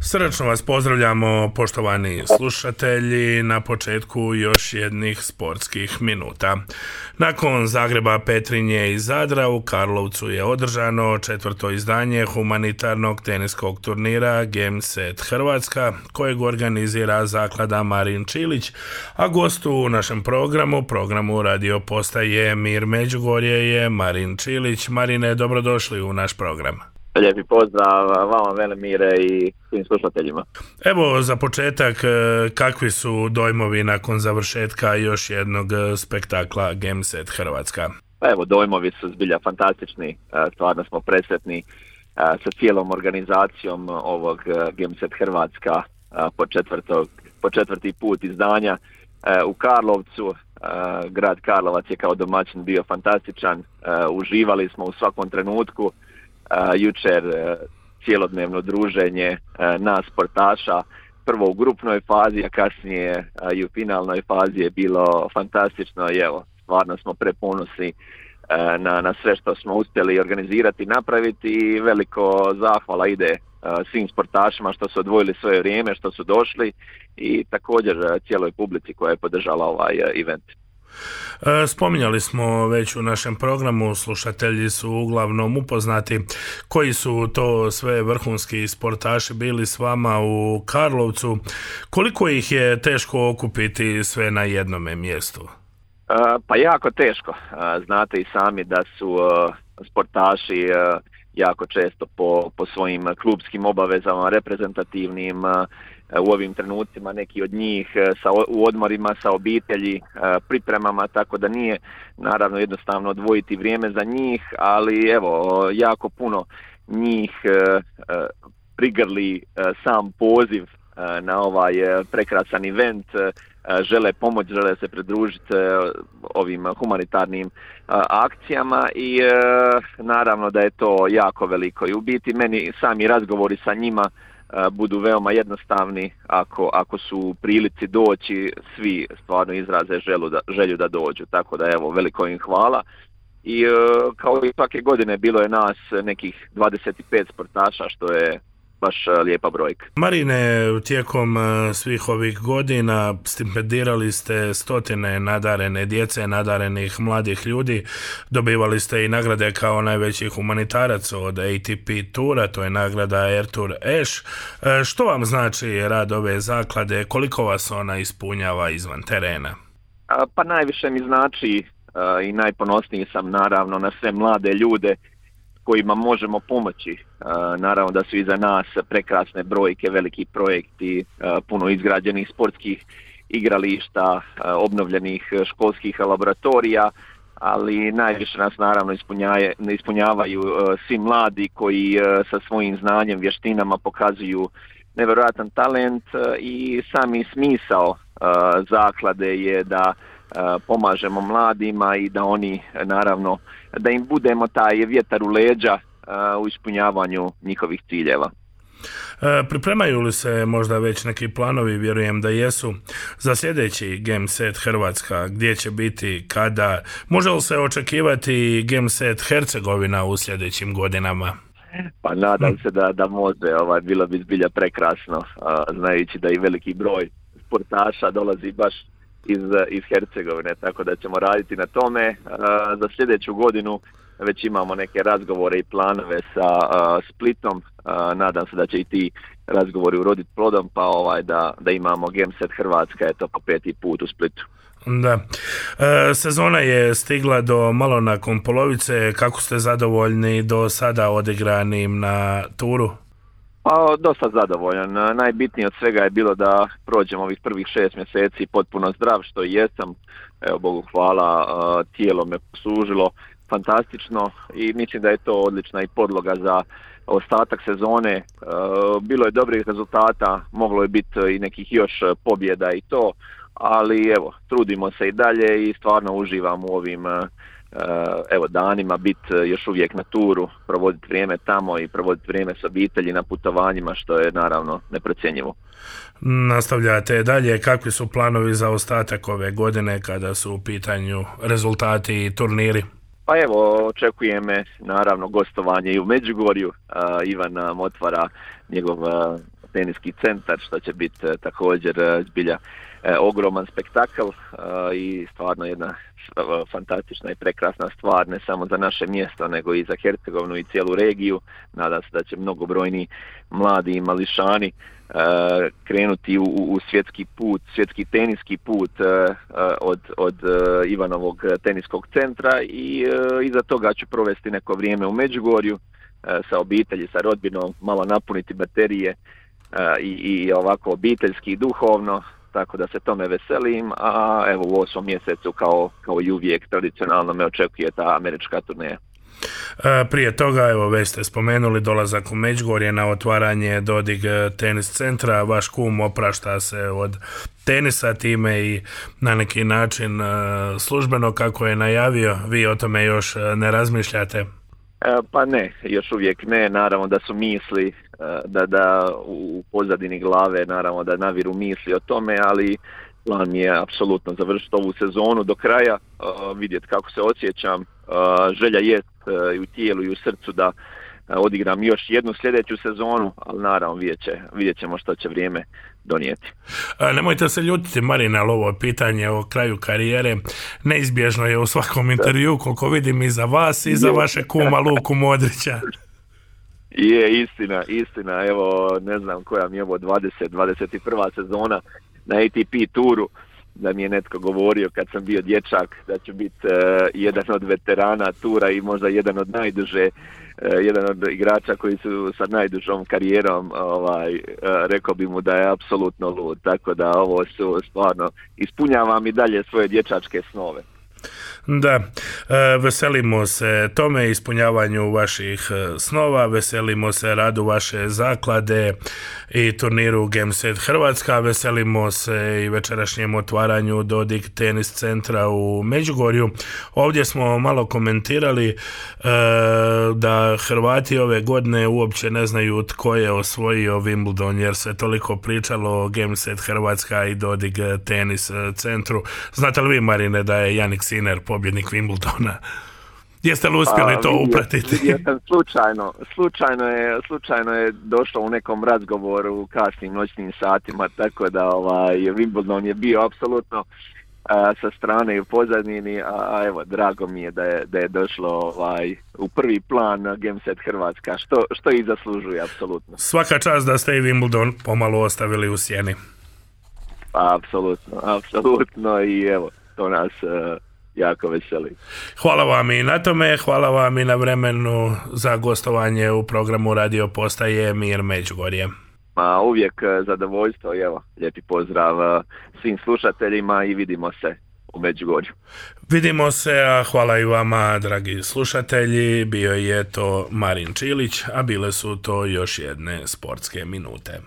Srdačno vas pozdravljamo, poštovani slušatelji, na početku još jednih sportskih minuta. Nakon Zagreba, Petrinje i Zadra u Karlovcu je održano četvrto izdanje humanitarnog teniskog turnira Gameset Hrvatska, kojeg organizira zaklada Marin Čilić, a gostu u našem programu radio postaje Mir Međugorje je Marin Čilić. Marine, dobrodošli u naš program. Lijepi pozdrav vama, Velemire, i svim slušateljima. Evo, za početak, kakvi su dojmovi nakon završetka još jednog spektakla Gameset Hrvatska? Evo, dojmovi su zbilja fantastični, stvarno smo presretni sa cijelom organizacijom ovog Gameset Hrvatska po četvrti put izdanja u Karlovcu. Grad Karlovac je kao domaćin bio fantastičan, uživali smo u svakom trenutku. Jučer cijelodnevno druženje nas sportaša, prvo u grupnoj fazi, a kasnije i u finalnoj fazi je bilo fantastično i evo, stvarno smo preponosni na sve što smo uspjeli organizirati i napraviti i veliko zahvala ide svim sportašima što su odvojili svoje vrijeme, što su došli i također cijeloj publici koja je podržala ovaj event. Spominjali smo već u našem programu, slušatelji su uglavnom upoznati koji su to sve vrhunski sportaši bili s vama u Karlovcu. Koliko ih je teško okupiti sve na jednome mjestu? Pa jako teško. Znate i sami da su sportaši jako često po svojim klubskim obavezama, reprezentativnim, u ovim trenucima neki od njih u odmorima sa obitelji, pripremama, tako da nije naravno jednostavno odvojiti vrijeme za njih, ali evo, jako puno njih prigrli sam poziv na ovaj prekrasan event, žele pomoć, žele se pridružiti ovim humanitarnim akcijama i naravno da je to jako veliko i u biti meni sami razgovori sa njima budu veoma jednostavni ako su u prilici doći, svi stvarno izraze želju da dođu, tako da evo, veliko im hvala. I kao i svake godine bilo je nas nekih 25 sportaša, što je baš lijepa brojka. Marine, tijekom svih ovih godina stipendirali ste stotine nadarene djece, nadarenih mladih ljudi, dobivali ste i nagrade kao najveći humanitarac od ATP Tura, to je nagrada Air Tour Ash. Što vam znači rad ove zaklade, koliko vas ona ispunjava izvan terena? Pa najviše mi znači i najponosniji sam naravno na sve mlade ljude kojima možemo pomoći. Naravno da su iza nas prekrasne brojke, veliki projekti, puno izgrađenih sportskih igrališta, obnovljenih školskih laboratorija, ali najviše nas naravno ispunjavaju svi mladi koji sa svojim znanjem, vještinama pokazuju nevjerojatan talent i sami smisao zaklade je da pomažemo mladima i da oni naravno, da im budemo taj vjetar u leđa u ispunjavanju njihovih ciljeva. Pripremaju li se možda već neki planovi, vjerujem da jesu, za sljedeći Gameset Hrvatska, gdje će biti, kada, može li se očekivati Gameset Hercegovina u sljedećim godinama? Pa nadam se da može, bilo bi zbilja prekrasno, znajući da i veliki broj sportaša dolazi baš iz Hercegovine, tako da ćemo raditi na tome. Za sljedeću godinu već imamo neke razgovore i planove sa Splitom, nadam se da će i ti razgovori uroditi plodom, pa da imamo Gameset Hrvatska, eto po 5. put u Splitu. Da. Sezona je stigla do malo nakon polovice, kako ste zadovoljni do sada odigranim na turu? Pa, dosta zadovoljan. Najbitnije od svega je bilo da prođem ovih prvih 6 mjeseci potpuno zdrav, što i jesam. Evo, Bogu hvala, tijelo me poslužilo fantastično i mislim da je to odlična i podloga za ostatak sezone. Bilo je dobrih rezultata, moglo je biti i nekih još pobjeda i to, ali evo, trudimo se i dalje i stvarno uživam u ovim danima, biti još uvijek na turu, provoditi vrijeme tamo i provoditi vrijeme s obitelji na putovanjima, što je naravno neprocjenjivo. Nastavljate dalje, kakvi su planovi za ostatak ove godine kada su u pitanju rezultati i turniri? Pa evo, očekuje me naravno gostovanje i u Međugorju. Ivan nam otvara njegov teniski centar, što će biti također zbilja ogroman spektakl i stvarno jedna fantastična i prekrasna stvar, ne samo za naše mjesto, nego i za Hercegovinu i cijelu regiju. Nadam se da će mnogobrojni mladi mališani krenuti u svjetski teniski put od Ivanovog teniskog centra i iza toga ću provesti neko vrijeme u Međugorju sa obitelji, sa rodbinom, malo napuniti baterije i ovako obiteljski i duhovno, tako da se tome veselim, a evo u 8. mjesecu kao i uvijek tradicionalno me očekuje ta američka turneja. Prije toga, evo već ste spomenuli dolazak u Međugorje na otvaranje Dodig tenis centra, vaš kum oprašta se od tenisa time i na neki način službeno kako je najavio, vi o tome još ne razmišljate? Pa ne, još uvijek ne, naravno da su misli, da u pozadini glave naravno da naviru misli o tome, ali plan mi je apsolutno završiti ovu sezonu do kraja, vidjeti kako se osjećam, želja jest i u tijelu i u srcu da odigram još jednu sljedeću sezonu, ali naravno vidjet ćemo što će vrijeme donijeti. Nemojte se ljutiti, Marine, ali ovo pitanje o kraju karijere neizbježno je u svakom intervju, koliko vidim, i za vas i za vaše kuma Luku Modrića. Je, istina, evo ne znam koja mi je ovo 21. sezona na ATP turu, da mi je netko govorio kad sam bio dječak da ću biti jedan od veterana tura i možda jedan od igrača koji su sa najdužom karijerom, rekao bi mu da je apsolutno lud, tako da ovo su stvarno, ispunjavam i dalje svoje dječačke snove. Da, veselimo se tome, ispunjavanju vaših snova, veselimo se radu vaše zaklade i turniru Gameset Hrvatska, veselimo se i večerašnjem otvaranju Dodig tenis centra u Međugorju. Ovdje smo malo komentirali da Hrvati ove godine uopće ne znaju tko je osvojio Wimbledon, jer se toliko pričalo o Gameset Hrvatska i Dodig tenis centru. Znate li vi, Marine, da je Jannik Sinner pobjednik Wimbledona? Jeste li uspjeli to upratiti? Slučajno je došlo u nekom razgovoru u kasnim noćnim satima, tako da Wimbledon je bio apsolutno sa strane i u pozadini, a evo, drago mi je da je došlo u prvi plan Gameset Hrvatska, što i zaslužuje apsolutno. Svaka čast da ste i Wimbledon pomalo ostavili u sjeni. Apsolutno i evo, to nas jako veseli. Hvala vam i na tome, hvala vam i na vremenu za gostovanje u programu Radio Postaje Mir Međugorje. Uvijek zadovoljstvo, evo, lijepi pozdrav svim slušateljima i vidimo se u Međugorju. Vidimo se, a hvala i vama, dragi slušatelji. Bio je to Marin Čilić, a bile su to još jedne sportske minute.